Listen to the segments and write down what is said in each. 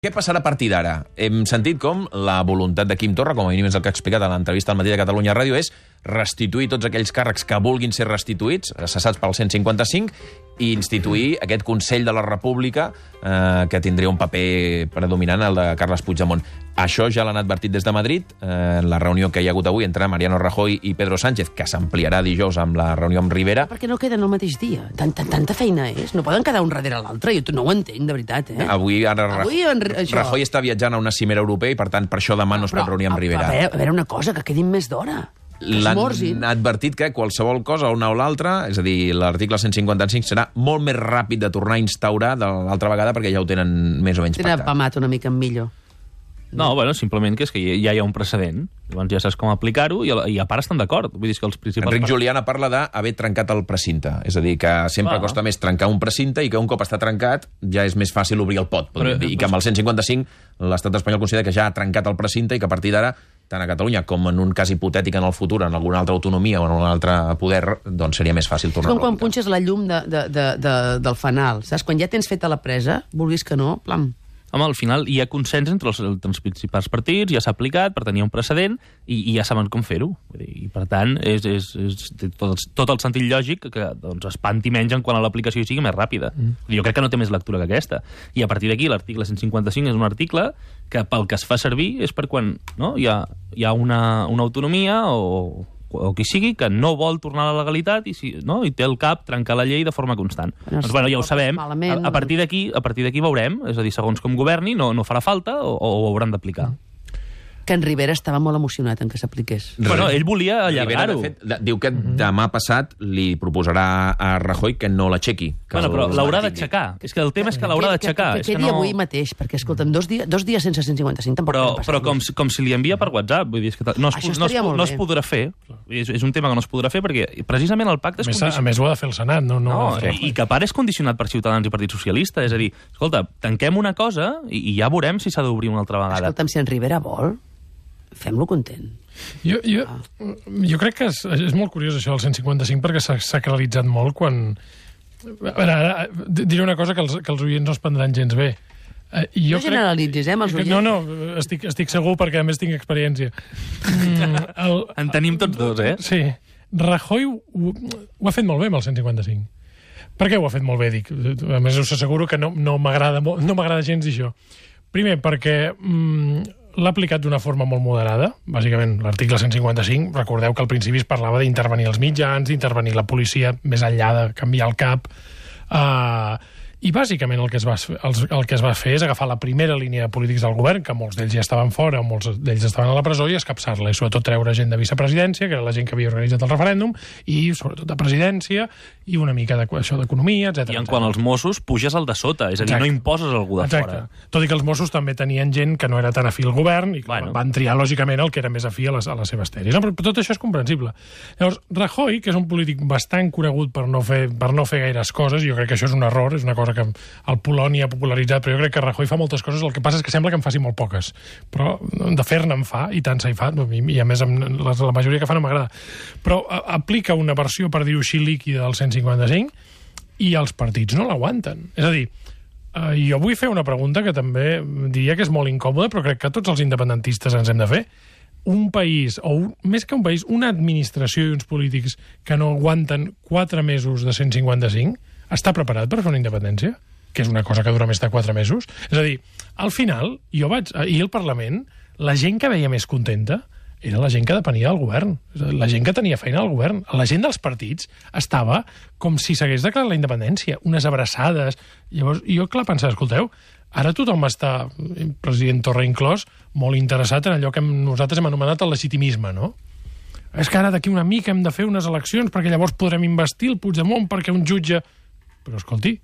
Què passarà a partir d'ara? Hem sentit com la voluntat de Quim Torra, com a mínim és el que ha explicat a l'entrevista al Matí de Catalunya Ràdio, és restituir tots aquells càrrecs que vulguin ser restituïts, cessats pel 155, i instituir aquest Consell de la República que tindria un paper predominant, el de Carles Puigdemont. Això ja l'han advertit des de Madrid, en la reunió que hi ha hagut avui entre Mariano Rajoy i Pedro Sánchez, que s'ampliarà dijous amb la reunió amb Rivera. Perquè no queden el mateix dia. Tanta feina és. No poden quedar un darrere l'altre. Jo no ho entenc, de veritat. Avui Rajoy està viatjant a una cimera europea i, per tant, per això demà no es pot reunir amb Rivera. A veure una cosa, que quedin més d'hora. L'han advertit que qualsevol cosa, una o l'altra, és a dir, l'article 155 serà molt més ràpid de tornar a instaurar de l'altra vegada perquè ja ho tenen més o menys pactat. Tenen apamat una mica millor. No, bueno, simplement que és que ja hi ha un precedent. Llavors ja saps com aplicar-ho i a part estan d'acord. Vull dir que els principals... Enric Juliana parla d'haver trencat el precinte. És a dir, que sempre costa més trencar un precinte i que un cop està trencat ja és més fàcil obrir el pot. I que amb el 155 l'estat espanyol considera que ja ha trencat el precinte i que a partir d'ara, tant a Catalunya com en un cas hipotètic en el futur, en alguna altra autonomia o en un altre poder, doncs seria més fàcil tornar a com quan punxes la llum del fanal. Saps? Quan ja tens feta la presa, vulguis que no, plam. Home, al final hi ha consens entre els principals partits, ja s'ha aplicat per tenir un precedent i ja saben com fer-ho. I, per tant, és tot el sentit lògic que doncs, espanti menys en quan l'aplicació sigui més ràpida. Jo crec que no té més lectura que aquesta. I a partir d'aquí, l'article 155 és un article que pel que es fa servir és per quan hi ha una autonomia o qui sigui, que no vol tornar a la legalitat i té el cap trencar la llei de forma constant. Doncs ja ho sabem. A partir d'aquí veurem, és a dir, segons com governi, no farà falta o ho hauran d'aplicar. Que en Rivera estava molt emocionat en que s'apliqués. Bueno, ell volia allargar-ho. Diu que demà passat li proposarà a Rajoy que no l'aixequi. Bueno, però l'haurà d'aixecar. És que el tema és que l'haurà d'aixecar. Que quedi avui mateix, perquè, escolta'm, dos dies sense 155 tampoc... Però com si li envia per WhatsApp, vull dir, que no es podrà fer. És un tema que no es podrà fer perquè precisament el pacte és condicionat. A més ho ha de fer el Senat, no i que a part és condicionat per Ciutadans i Partit Socialista. És a dir, escolta, tanquem una cosa i ja veurem si s'ha d'obrir una altra vegada. Escolta'm, si en Rivera vol... fem-lo content. Jo crec que és molt curiós això del 155 perquè s'ha sacralitzat molt quan... A veure, ara diré una cosa que els oients no es prendran gens bé. No generalitzis, els oients. No, estic segur perquè a més tinc experiència. En tenim tots dos, Sí. Rajoy ho ha fet molt bé amb el 155. Per què ho ha fet molt bé, dic? A més, us asseguro que no m'agrada gens dir això. Primer, perquè... l'ha aplicat d'una forma molt moderada. Bàsicament, l'article 155, recordeu que al principi es parlava d'intervenir els mitjans, d'intervenir la policia, més enllà de canviar el cap. I bàsicament el que es va fer és agafar la primera línia de polítics del govern, que molts d'ells ja estaven fora, molts d'ells estaven a la presó, i escapçar-la, i sobretot treure gent de vicepresidència, que era la gent que havia organitzat el referèndum, i sobretot de presidència, i una mica d'economia, etc. I en quant als Mossos, puges el de sota, és a dir, no imposes algú de fora. Tot i que els Mossos també tenien gent que no era tan afí al govern, i van triar, lògicament, el que era més afí a les seves tesis. Però tot això és comprensible. Llavors, Rajoy, que és un polític bastant conegut per no fer gaires coses, jo crec que això és un error, és una cosa que el Polònia ha popularitzat, però jo crec que Rajoy fa moltes coses, el que passa és que sembla que en faci molt poques, però de fer-ne en fa, i tant se hi fa, i a més la majoria que fa no m'agrada, però aplica una versió, per dir-ho així, líquida del 155, i els partits no l'aguanten. És a dir, jo vull fer una pregunta que també diria que és molt incòmoda, però crec que tots els independentistes ens hem de fer. Un país, o més que un país, una administració i uns polítics que no aguanten 4 mesos de 155, està preparat per fer una independència? Que és una cosa que dura més de 4 mesos? És a dir, al final, ahir al Parlament, la gent que veia més contenta era la gent que depenia del govern, la gent que tenia feina al govern. La gent dels partits estava com si s'hagués declarat la independència, unes abraçades. Llavors, jo, clar, pensava, escolteu, ara tothom està, president Torra inclòs, molt interessat en allò que nosaltres hem anomenat el legitimisme, no? És que ara d'aquí una mica hem de fer unes eleccions perquè llavors podrem investir el Puigdemont perquè un jutge... Però escolti,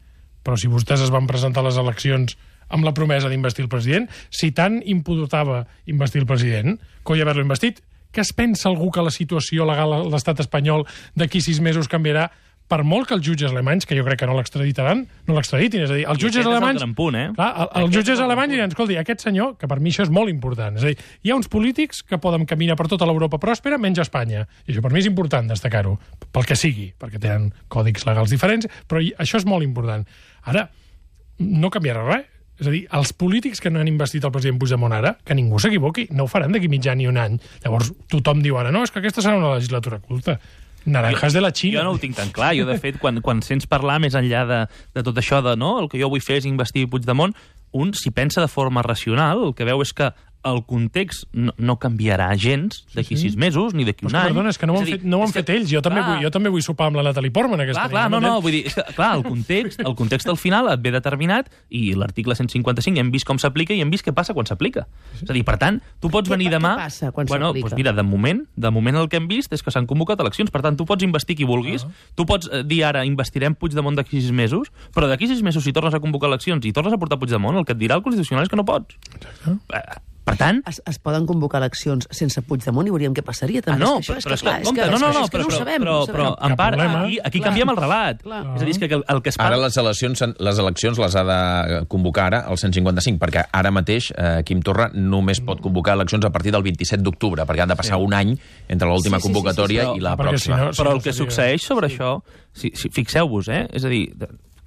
si vostès es van presentar a les eleccions amb la promesa d'investir el president, si tant imputava investir el president, coi haver-lo investit, què es pensa algú que la situació legal a l'estat espanyol d'aquí 6 mesos canviarà, per molt que els jutges alemanys, que jo crec que no l'extraditin, és a dir, els jutges alemanys... Els jutges alemanys diran, escolti, aquest senyor, que per mi això és molt important, és a dir, hi ha uns polítics que poden caminar per tota l'Europa pròspera menys Espanya, i això per mi és important destacar-ho, pel que sigui, perquè tenen còdics legals diferents, però això és molt important. Ara, no canviarà res. És a dir, els polítics que no han investit el president Puigdemont ara, que ningú s'equivoqui, no ho faran d'aquí mig any ni un any. Llavors tothom diu ara, no, és que aquesta serà una legislatura curta. Naranjas de la Xina. Jo no ho tinc tan clar. Jo, de fet, quan sents parlar més enllà de tot això de no, el que jo vull fer és investir Puigdemont, un, si pensa de forma racional, el que veu és que el context no canviarà gens d'aquí 6 mesos, ni d'aquí un any. Perdona, és que no ho han fet ells. Jo també vull sopar amb la Natalie Portman aquesta nit. Vull dir, el context al final et ve determinat i l'article 155 hem vist com s'aplica i hem vist què passa quan s'aplica. És a dir, per tant, tu pots venir demà... Què passa quan s'aplica? Mira, de moment el que hem vist és que s'han convocat eleccions. Per tant, tu pots investir qui vulguis. Tu pots dir ara, investirem Puigdemont d'aquí 6 mesos, però d'aquí 6 mesos, si tornes a convocar eleccions i tornes a portar Puigdemont, el que et dirà el Constitucional és que no pots. Exacte. Per tant... Es poden convocar eleccions sense Puigdemont i veuríem què passaria. També. No, és però no ho sabem. Però en part, aquí canviem el relat. Clar. És a dir, que el que es parla... Ara les eleccions les ha de convocar ara el 155, perquè ara mateix Quim Torra només pot convocar eleccions a partir del 27 d'octubre, perquè han de passar un any entre l'última convocatòria i la pròxima. Però el que succeeix sobre això, fixeu-vos, és a dir,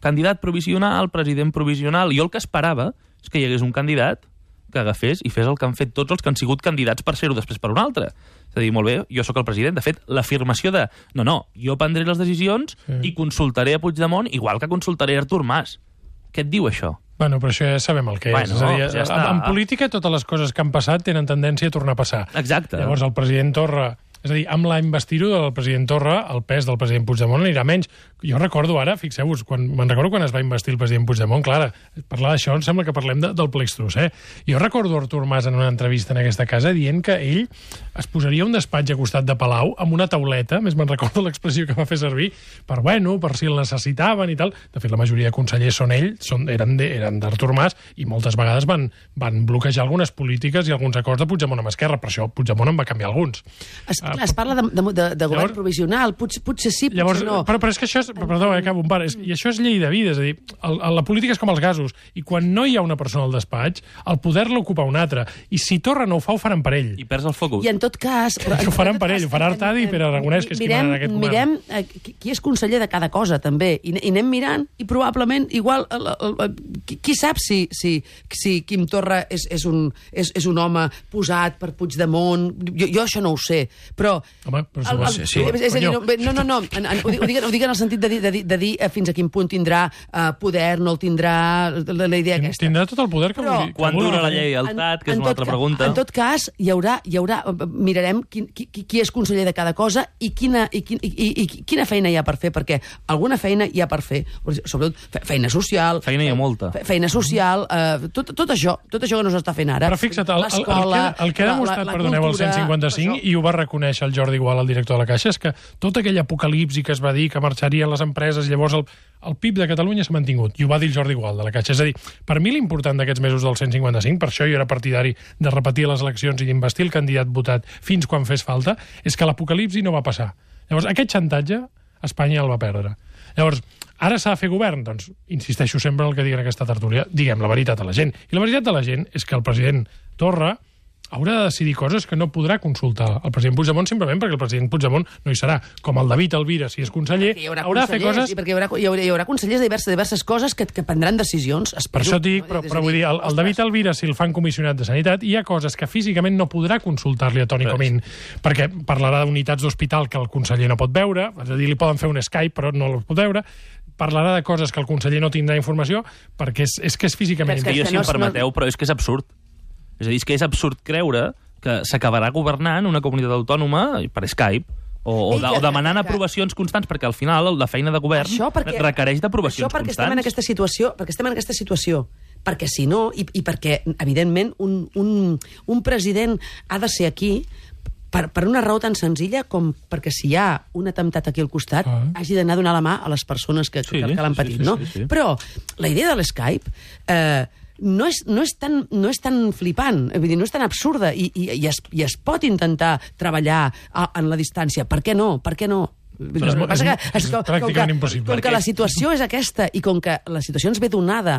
candidat provisional, president provisional, jo el que esperava és que hi hagués un candidat que agafés i fes el que han fet tots els que han sigut candidats per ser-ho després per un altre. És a dir, molt bé, jo sóc el president. De fet, l'afirmació de no, jo prendré les decisions i consultaré a Puigdemont igual que consultaré a Artur Mas. Què et diu això? Bueno, però això ja sabem el que és. És a dir, ja en política totes les coses que han passat tenen tendència a tornar a passar. Exacte. Llavors el president Torra... És a dir, amb la investidura del president Torra, el pes del president Puigdemont anirà menys. Jo recordo ara, fixeu-vos, me'n recordo quan es va investir el president Puigdemont, clar, parlar d'això em sembla que parlem del plextrus, Jo recordo Artur Mas en una entrevista en aquesta casa dient que ell es posaria un despatx a costat de Palau amb una tauleta, més me'n recordo l'expressió que va fer servir, per si el necessitaven i tal. De fet, la majoria de consellers eren d'Artur Mas i moltes vegades van bloquejar algunes polítiques i alguns acords de Puigdemont amb Esquerra, però això Puigdemont en va canviar alguns. Es parla de govern provisional, potser sí, potser no. Però és que això és... Perdó, acabo un par. I això és llei de vida, és a dir, la política és com els gasos, i quan no hi ha una persona al despatx, el poder l'ocupa un altre. I si Torra no ho fa, ho faran per ell. I perds el focus. I en tot cas... Ho faran per ell, ho farà Artadi i Pere Aragonès, que és qui mana en aquest govern. Mirem qui és conseller de cada cosa, també, i anem mirant, i probablement, igual, qui sap si Quim Torra és un home posat per Puigdemont? Jo això no ho sé. Però... Home, però sí. És a dir, no. Ho dic en el sentit de dir fins a quin punt tindrà poder, no el tindrà, la idea aquesta. Tindrà tot el poder que vulgui. Quan dura la lleialtat, que és una altra pregunta. En tot cas, hi haurà mirarem qui és conseller de cada cosa i quina feina hi ha per fer, perquè alguna feina hi ha per fer. Sobretot feina social. Feina hi ha molta. Feina social, tot això que no s'està fent ara. Però fixa't, el que ha demostrat, perdoneu, el 155, i ho va reconèixer el Jordi Gual, el director de la Caixa, és que tot aquell apocalipsi que es va dir que marxarien les empreses, llavors el PIB de Catalunya s'ha mantingut, i ho va dir el Jordi Gual de la Caixa. És a dir, per mi l'important d'aquests mesos del 155, per això jo era partidari de repetir les eleccions i d'investir el candidat votat fins quan fes falta, és que l'apocalipsi no va passar. Llavors, aquest xantatge, Espanya el va perdre. Llavors, ara s'ha de fer govern? Doncs insisteixo sempre en el que diguen aquesta tertúlia, diguem la veritat a la gent. I la veritat de la gent és que el president Torra haurà de decidir coses que no podrà consultar el president Puigdemont, simplement perquè el president Puigdemont no hi serà. Com el David Alvira, si és conseller, haurà de fer coses... Perquè hi haurà consellers de diverses coses que prendran decisions. Per això dic, però vull dir, el David Alvira, si el fan comissionat de Sanitat, hi ha coses que físicament no podrà consultar-li a Toni Comín, perquè parlarà d'unitats d'hospital que el conseller no pot veure, és a dir, li poden fer un Skype, però no el pot veure, parlarà de coses que el conseller no tindrà informació, perquè és que és físicament... Jo, si em permeteu, però és que és absurd. És a dir, és que és absurd creure que s'acabarà governant una comunitat autònoma per Skype o demanant aprovacions constants, perquè al final la feina de govern requereix d'aprovacions constants. Això perquè estem en aquesta situació. Perquè si no, i perquè, evidentment, un president ha de ser aquí per una raó tan senzilla com perquè si hi ha un atemptat aquí al costat hagi d'anar a donar la mà a les persones que l'han patit, no? Però la idea de l'Skype no és tan flipant, vull dir, no és tan absurda i es pot intentar treballar en la distància. Per què no? És pràcticament impossible. Com que la situació és aquesta i com que la situació ens ve donada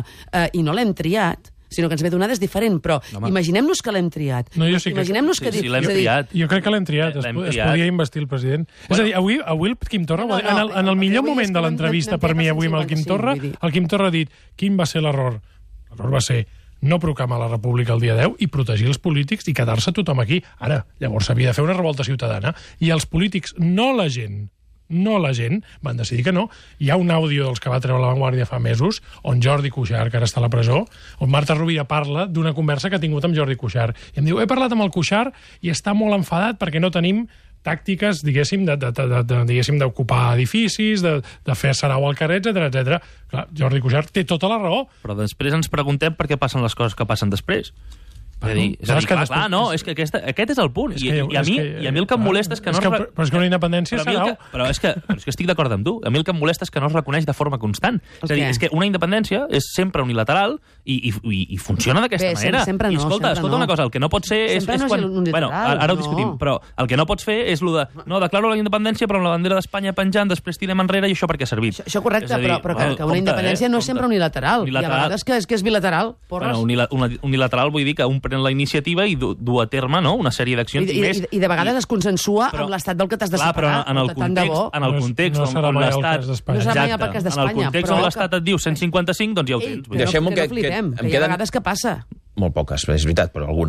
i no l'hem triat, sinó que ens ve donada és diferent, però imaginem-nos que l'hem triat. No, jo sí que... Imaginem-nos que... Sí, l'hem triat. Jo crec que l'hem triat. Es podia investir el president. És a dir, avui el Quim Torra, en el millor moment de l'entrevista per mi avui amb el Quim Torra, el Quim Torra ha dit quin va ser l'error. L'error va ser no proclamar la república el dia 10 i protegir els polítics i quedar-se tothom aquí. Ara, llavors s'havia de fer una revolta ciutadana i els polítics, no la gent, van decidir que no. Hi ha un àudio dels que va treure La Vanguardia fa mesos, on Jordi Cuixart, que ara està a la presó, on Marta Rovira parla d'una conversa que ha tingut amb Jordi Cuixart. I em diu, he parlat amb el Cuixart i està molt enfadat perquè no tenim tàctiques, diguéssim, d'ocupar edificis, de fer sarau al carrer, etc. Clar, Jordi Cuixart té tota la raó. Però després ens preguntem per què passen les coses que passen després. És que aquest és el punt. I a mi el que em molesta és que no... Però és que una independència és sarau. Però és que estic d'acord amb tu. A mi el que em molesta és que no es reconeix de forma constant. És a dir, és que una independència és sempre unilateral i funciona d'aquesta manera. I escolta una cosa, el que no pot ser és quan... Bueno, ara ho discutim, però el que no pots fer és el de... No, declaro la independència, però amb la bandera d'Espanya penjant, després tirem enrere i això per què ha servit? Això correcte, però que una independència no és sempre unilateral. I a vegades que és bilateral. Unilateral vull dir que un pren la iniciativa i du a terme una sèrie d'accions. I de vegades es consensua amb l'estat del que t'has de separar. Però en el context on l'estat... No serà mai el cas d'Espanya. En el context on l'estat et diu 155, doncs ja ho tens. Deixem-ho que no flipem, que hi ha vegades que passa. Molt poques, és veritat, però alguna.